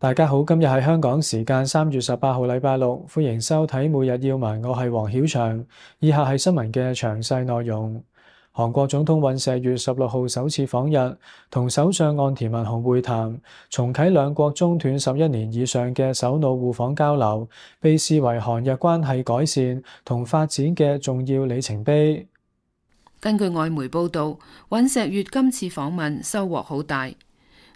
大家好，今日係香港時間3月18號，禮拜六，歡迎收睇每日要聞，我係黃曉翔。以下係新聞嘅詳細內容。韓國總統尹錫悅16號首次訪日，同首相岸田文雄會談，重啟兩國中斷11年以上嘅首腦互訪交流，被視為韓日關係改善同發展嘅重要里程碑。根據外媒報道，尹錫悅今次訪問收穫好大。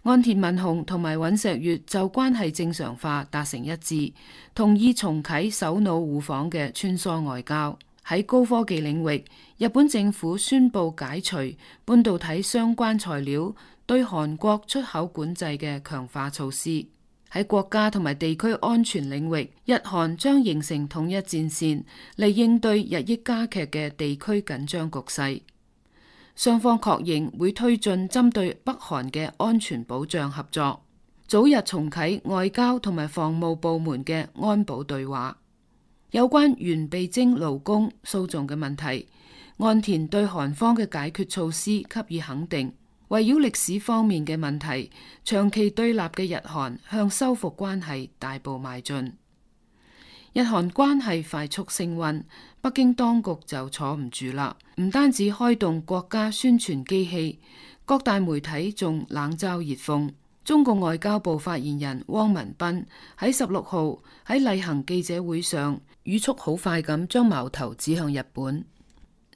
岸田文雄同埋尹錫悅就關係正常化達成一致，同意重啟首腦互訪嘅穿梭外交。喺高科技領域，日本政府宣布解除半導體相關材料對韓國出口管制嘅強化措施。喺國家同埋地區安全領域，日韓將形成統一戰線嚟應對日益加劇嘅地區緊張局勢。雙方確認會推進針對北韓嘅安全保障合作，早日重啟外交同埋防務部門嘅安保對話。有關原被徵勞工訴訟嘅問題，岸田對韓方嘅解決措施給予肯定。圍繞歷史方面嘅問題，長期對立嘅日韓向修復關係大步邁進。日韓關係快速升溫，北京當局就坐唔住啦，唔單止開動國家宣傳機器，各大媒體仲冷嘲熱諷。中共外交部發言人汪文斌喺16號喺例行記者會上，語速好快咁將矛頭指向日本，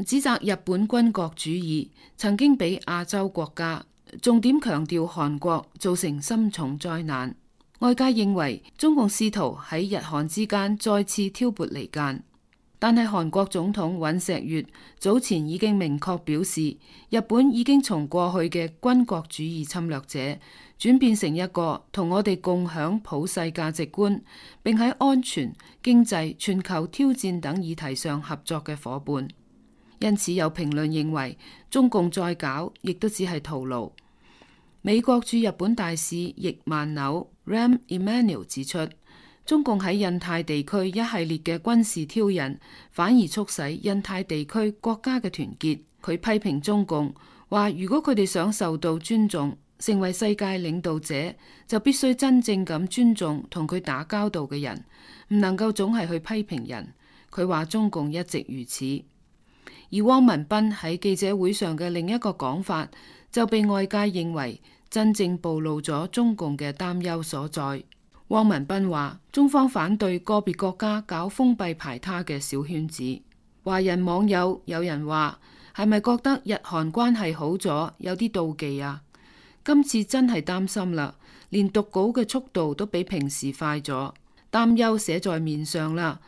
指責日本軍國主義曾經俾亞洲國家，重點強調韓國造成深重災難。外界認為中共試圖喺日韓之間再次挑撥離間，但係韓國總統尹錫悅早前已經明確表示，日本已經從過去嘅軍國主義侵略者轉變成一個同我哋共享普世價值觀，並喺安全、經濟、全球挑戰等議題上合作嘅夥伴。因此有評論認為，中共再搞亦都只係徒勞。美國駐日本大使易萬紐 Rahm Emanuel 指出，中共喺印太地區一系列嘅軍事挑釁，反而促使印太地區國家嘅團結。佢批評中共話，如果佢哋想受到尊重，成為世界領導者，就必須真正咁尊重同佢打交道嘅人，唔能夠總係去批評人。佢話中共一直如此。而汪文斌喺記者會上嘅另一個講法，就被外界認為真正暴露咗中共嘅擔憂所在。汪文斌話，中方反對個別國家搞封閉排他嘅小圈子。華人網友有人話，係咪覺得日韓關係好咗，有啲妒忌啊？今次真係擔心啦，連讀稿嘅速度都比平時快咗，擔憂寫在面上啦，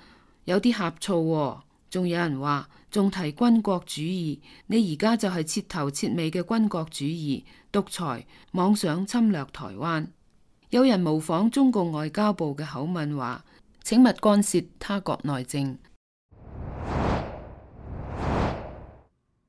有啲呷醋喎。仲有人話，仲提軍國主義，你而家就係徹頭徹尾嘅軍國主義獨裁，妄想侵略台灣。有人模仿中共外交部嘅口吻話，請勿干涉他國內政。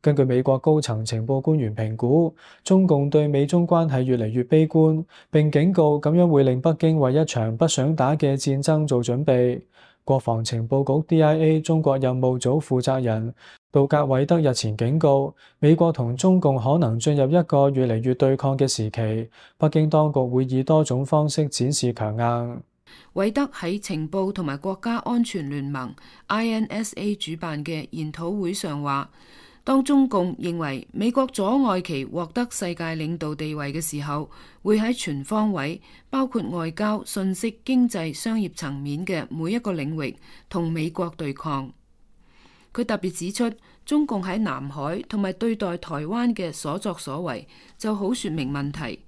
根據美國高層情報官員評估，中共對美中關係越嚟越悲觀，並警告咁樣會令北京為一場不想打嘅戰爭做準備。國防情報局 DIA 中國任務組負責人杜格韋德日前警告，美國同中共可能進入一個越嚟越對抗嘅時期，北京當局會以多種方式展示強硬。韋德喺情報同埋國家安全聯盟 INSA 主辦嘅研討會上話，當中共認為美國阻礙其獲得世界領導地位嘅時候，會喺全方位，包括外交、信息、經濟、商業層面嘅每一個領域同美國對抗。佢特別指出，中共喺南海同埋對待台灣嘅所作所為就好說明問題。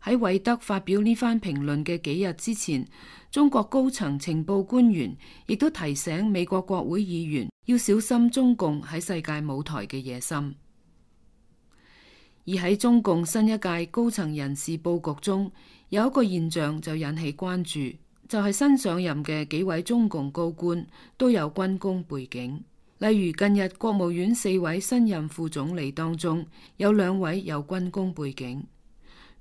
喺韋德發表呢番評論嘅幾日之前，中國高層情報官員亦都提醒美國國會議員要小心中共喺世界舞台嘅野心。而喺中共新一屆高層人事佈局中，有一個現象就引起關注，就係新上任嘅幾位中共高官都有軍工背景。例如近日國務院4位新任副總理當中，有2位有軍工背景。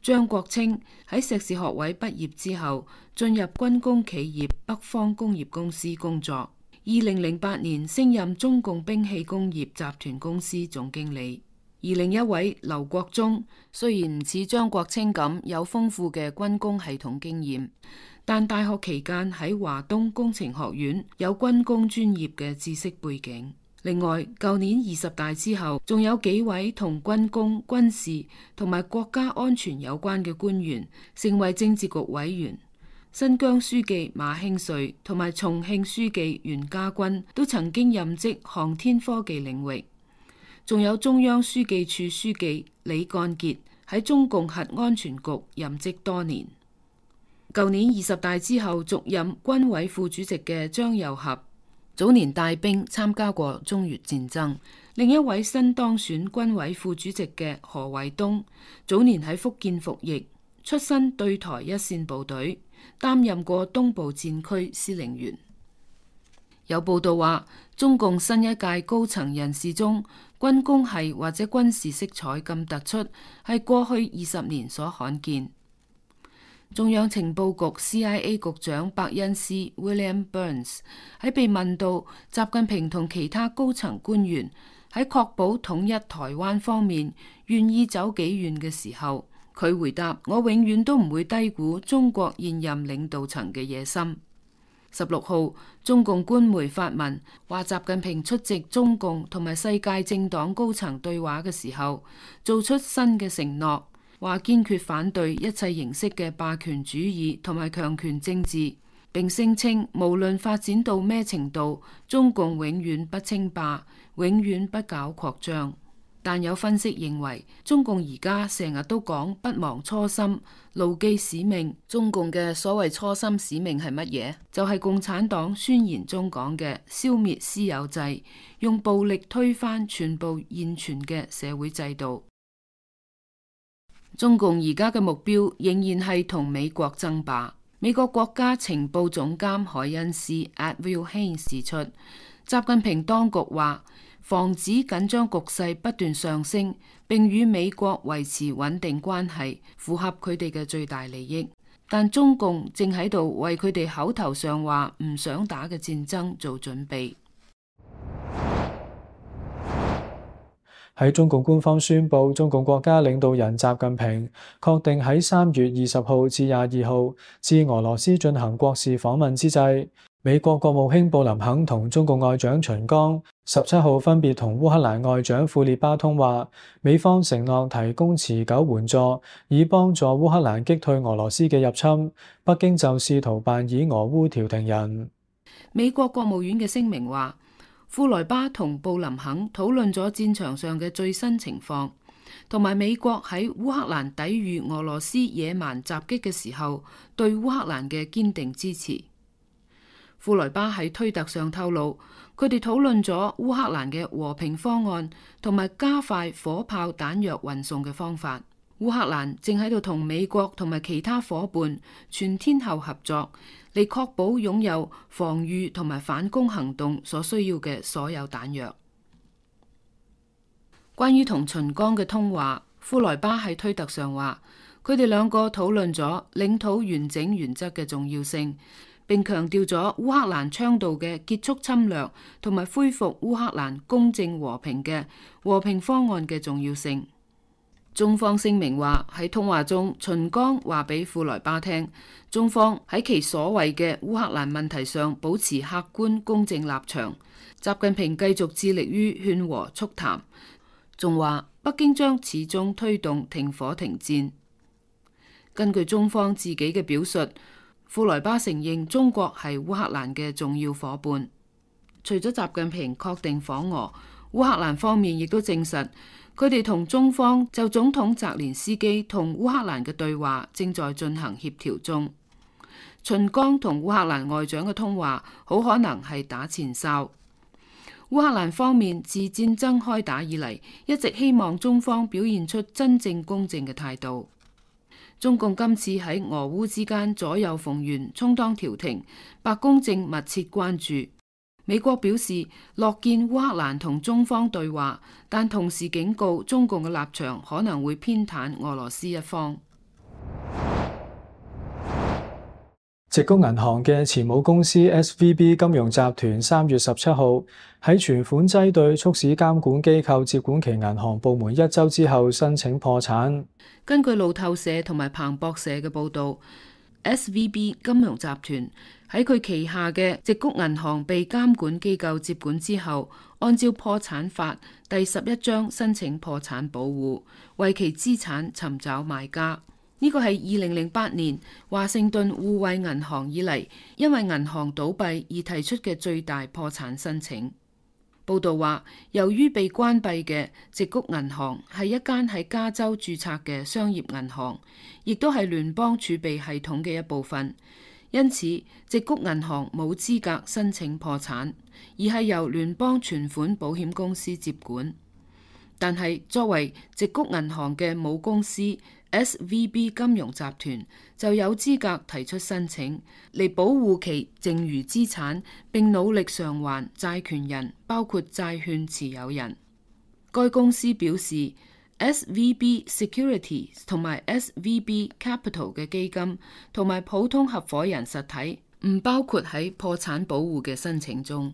張國清喺碩士學位畢業之後，進入軍工企業北方工業公司工作。2008年升任中共兵器工業集團公司總經理。而另一位劉國中雖然唔似張國清咁有豐富嘅軍工系統經驗，但大學期間喺華東工程學院有軍工專業嘅知識背景。另外，舊年20大之後，仲有幾位同軍工、軍事同埋國家安全有關嘅官員成為政治局委員。新疆書記馬興瑞同埋重慶書記袁家軍都曾經任職航天科技領域。仲有中央書記處書記李幹傑喺中共核安全局任職多年。舊年20大之後續任軍委副主席嘅張又俠，早年帶兵參加過中越戰爭。另一位新當選軍委副主席嘅何衛東，早年喺福建服役，出身對台一線部隊，擔任過東部戰區司令員。有報道話，中共新一屆高層人士中，軍工系或者軍事色彩咁突出，係過去20年所罕見。中央情報局 CIA 局長伯恩斯 William Burns 喺被問到習近平同其他高層官員喺確保統一台灣方面願意走幾遠嘅時候，佢回答：我永遠都唔會低估中國現任領導層嘅野心。16號，中共官媒發文話，習近平出席中共同埋世界政黨高層對話嘅時候，做出新嘅承諾。話堅決反對一切形式嘅霸權主義同埋強權政治，並聲稱無論發展到咩程度，中共永遠不稱霸，永遠不搞擴張。但有分析認為，中共而家成日都講不忘初心、牢記使命。中共嘅所謂初心使命係乜嘢？就係共產黨宣言中講嘅消滅私有制，用暴力推翻全部現存嘅社會制度。中共而家嘅目標仍然係同美國爭霸。美國國家情報總監海恩斯 Avril Haines 指出，習近平當局話防止緊張局勢不斷上升，並與美國維持穩定關係，符合佢哋嘅最大利益。但中共正喺度為佢哋口頭上話唔想打嘅戰爭做準備。喺中共官方宣布中共國家領導人習近平確定喺3月20號至22號至俄羅斯進行國事訪問之際，美國國務卿布林肯同中共外長秦剛17號分別同烏克蘭外長庫列巴通話，美方承諾提供持久援助，以幫助烏克蘭擊退俄羅斯嘅入侵。北京就試圖扮演俄烏調停人。美國國務院嘅聲明話，庫萊巴同布林肯討論咗戰場上嘅最新情況，同埋美國喺烏克蘭抵禦俄羅斯野蠻襲擊嘅時候對烏克蘭嘅堅定支持。庫萊巴喺推特上透露，佢哋討論咗烏克蘭嘅和平方案，同埋加快火炮彈藥運送嘅方法。烏克蘭正喺度同美國同埋其他夥伴全天候合作，嚟確保擁有防禦同埋反攻行動所需要嘅所有彈藥。關於同秦剛嘅通話，庫萊巴喺推特上話，佢哋兩個討論咗領土完整原則嘅重要性，並強調咗烏克蘭倡導嘅結束侵略同埋恢復烏克蘭公正和平嘅和平方案嘅重要性。中方聲明話，喺通話中，秦剛話俾庫萊巴聽，中方喺其所謂嘅烏克蘭問題上保持客觀公正立場。習近平繼續致力於勸和促談，仲話北京將始終推動停火停戰。根據中方自己嘅表述，庫萊巴承認中國係烏克蘭嘅重要伙伴。除咗習近平確定訪俄，烏克蘭方面亦都證實，佢哋同中方就總統澤連斯基同烏克蘭嘅對話正在進行協調中。秦剛同烏克蘭外長嘅通話好可能係打前哨。烏克蘭方面自戰爭開打以嚟，一直希望中方表現出真正公正嘅態度。中共今次喺俄烏之間左右逢源，充當調停，白宮正密切關注。美國表示樂見烏克蘭同中方對話，但同時警告中共嘅立場可能會偏袒俄羅斯一方。矽谷銀行嘅前母公司 SVB 金融集團3月17號喺存款擠兌促使監管機構接管其銀行部門1週之後申請破產。根據路透社同埋彭博社嘅報導，SVB 金融集團喺佢旗下嘅矽谷銀行被監管機構接管之後，按照破產法第11章申請破產保護，為其資產尋找買家。呢個係2008年華盛頓互惠銀行以嚟因為銀行倒閉而提出嘅最大破產申請。報道話，由於被關閉嘅矽谷銀行係一間喺加州註冊嘅商業銀行，亦都係聯邦儲備系統嘅一部分，因此矽谷銀行冇資格申請破產，而係由聯邦存款保險公司接管。但係作為矽谷銀行嘅母公司SVB 金融集團就有資格提出申請嚟保護其剩餘資產，並努力償還債權人，包括債券持有人。該公司表示 SVB Securities 同埋 SVB Capital 嘅基金同埋普通合夥人實體唔包括喺破產保護嘅申請中。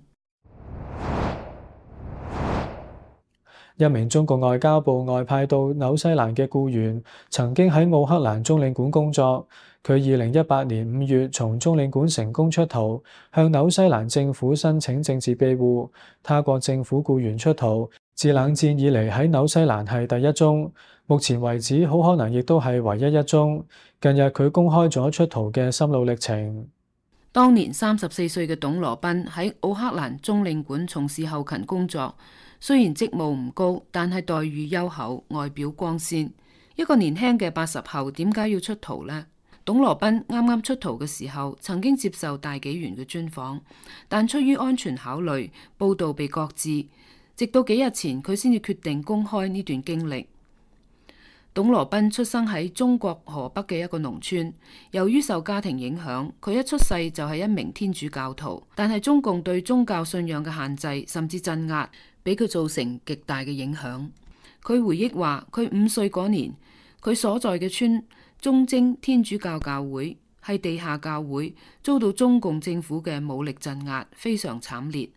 一名中國外交部外派到紐西蘭嘅僱員曾經喺奧克蘭中領館工作。佢2018年5月從中領館成功出逃，向紐西蘭政府申請政治庇護。他國政府僱員出逃，自冷戰以嚟喺紐西蘭係第一宗，目前為止好可能亦都係唯一一宗。近日佢公開咗出逃嘅心路歷程。當年34歲嘅董羅賓喺奧克蘭中領館從事後勤工作。雖然職務唔高，但係待遇優厚，外表光鮮。一個年輕嘅80後點解要出逃呢？董羅賓啱啱出逃嘅時候，曾經接受大紀元嘅專訪，但出於安全考慮，報道被擱置。直到幾日前，佢先至決定公開呢段經歷。董羅賓出生喺中國河北嘅一個農村，由於受家庭影響，佢一出世就係一名天主教徒。但係中共對宗教信仰嘅限制甚至鎮壓，俾佢造成極大嘅影響。佢回憶話，佢5歲嗰年，佢所在嘅村忠貞天主教教會係地下教會，遭到中共政府嘅武力鎮壓，非常慘烈。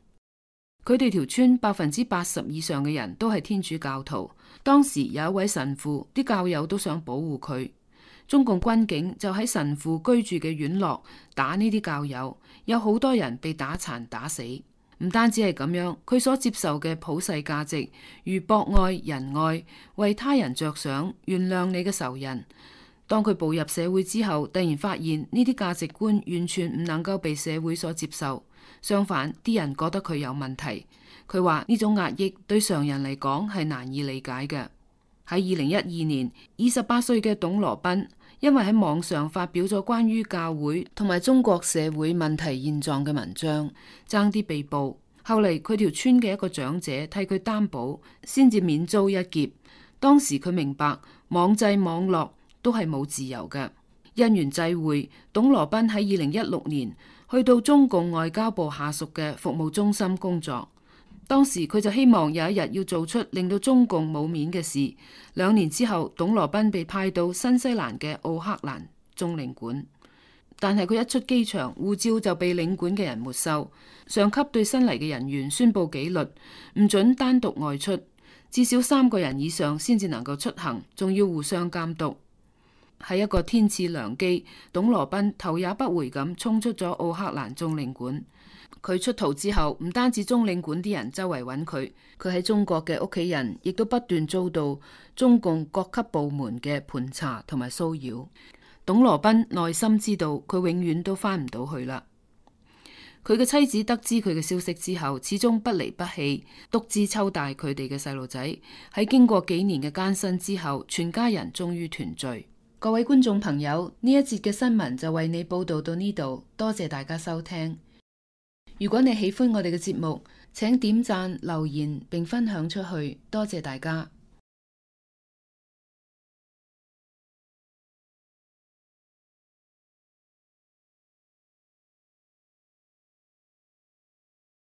佢哋條村80%以上嘅人都係天主教徒。當時有一位神父，啲教友都想保護佢。中共軍警就喺神父居住嘅院落打呢啲教友，有好多人被打殘打死。唔單止係咁樣，佢所接受嘅普世價值，如博愛、仁愛、為他人着想、原諒你嘅仇人。當佢步入社會之後，突然發現呢啲價值觀完全唔能夠被社會所接受，相反，啲人覺得佢有問題。佢話呢種壓抑對常人嚟講係難以理解嘅。喺2012年，28歲嘅董羅賓因為喺網上發表咗關於教會同埋中國社會問題現狀嘅文章，爭啲被捕。後嚟佢條村嘅一個長者替佢擔保，先至免遭一劫。當時佢明白網際網絡都係冇自由嘅。因緣際會，董羅賓喺2016年去到中共外交部下屬嘅服務中心工作。當時佢就希望有一日要做出令到中共冇面嘅事。2年之後，董羅賓被派到新西蘭嘅奧克蘭中領館，但係佢一出機場，護照就被領館嘅人沒收。上級對新嚟嘅人員宣布紀律，唔准單獨外出，至少3個人以上先至能夠出行，仲要互相監督。喺一個天賜良機，董羅賓頭也不回咁衝出咗奧克蘭中領館。佢出逃之後，唔單止中領館啲人周圍揾佢，佢喺中國嘅屋企人亦都不斷遭到中共各級部門嘅盤查同埋騷擾。董羅賓內心知道佢永遠都翻唔到去啦。佢嘅妻子得知佢嘅消息之後，始終不離不棄，獨自湊大佢哋嘅細路仔。喺經過幾年嘅艱辛之後，全家人終於團聚。各位觀眾朋友，呢一節嘅新聞就為你報道到呢度，多謝大家收聽。如果你喜歡我哋嘅節目，請點讚、留言並分享出去，多謝大家。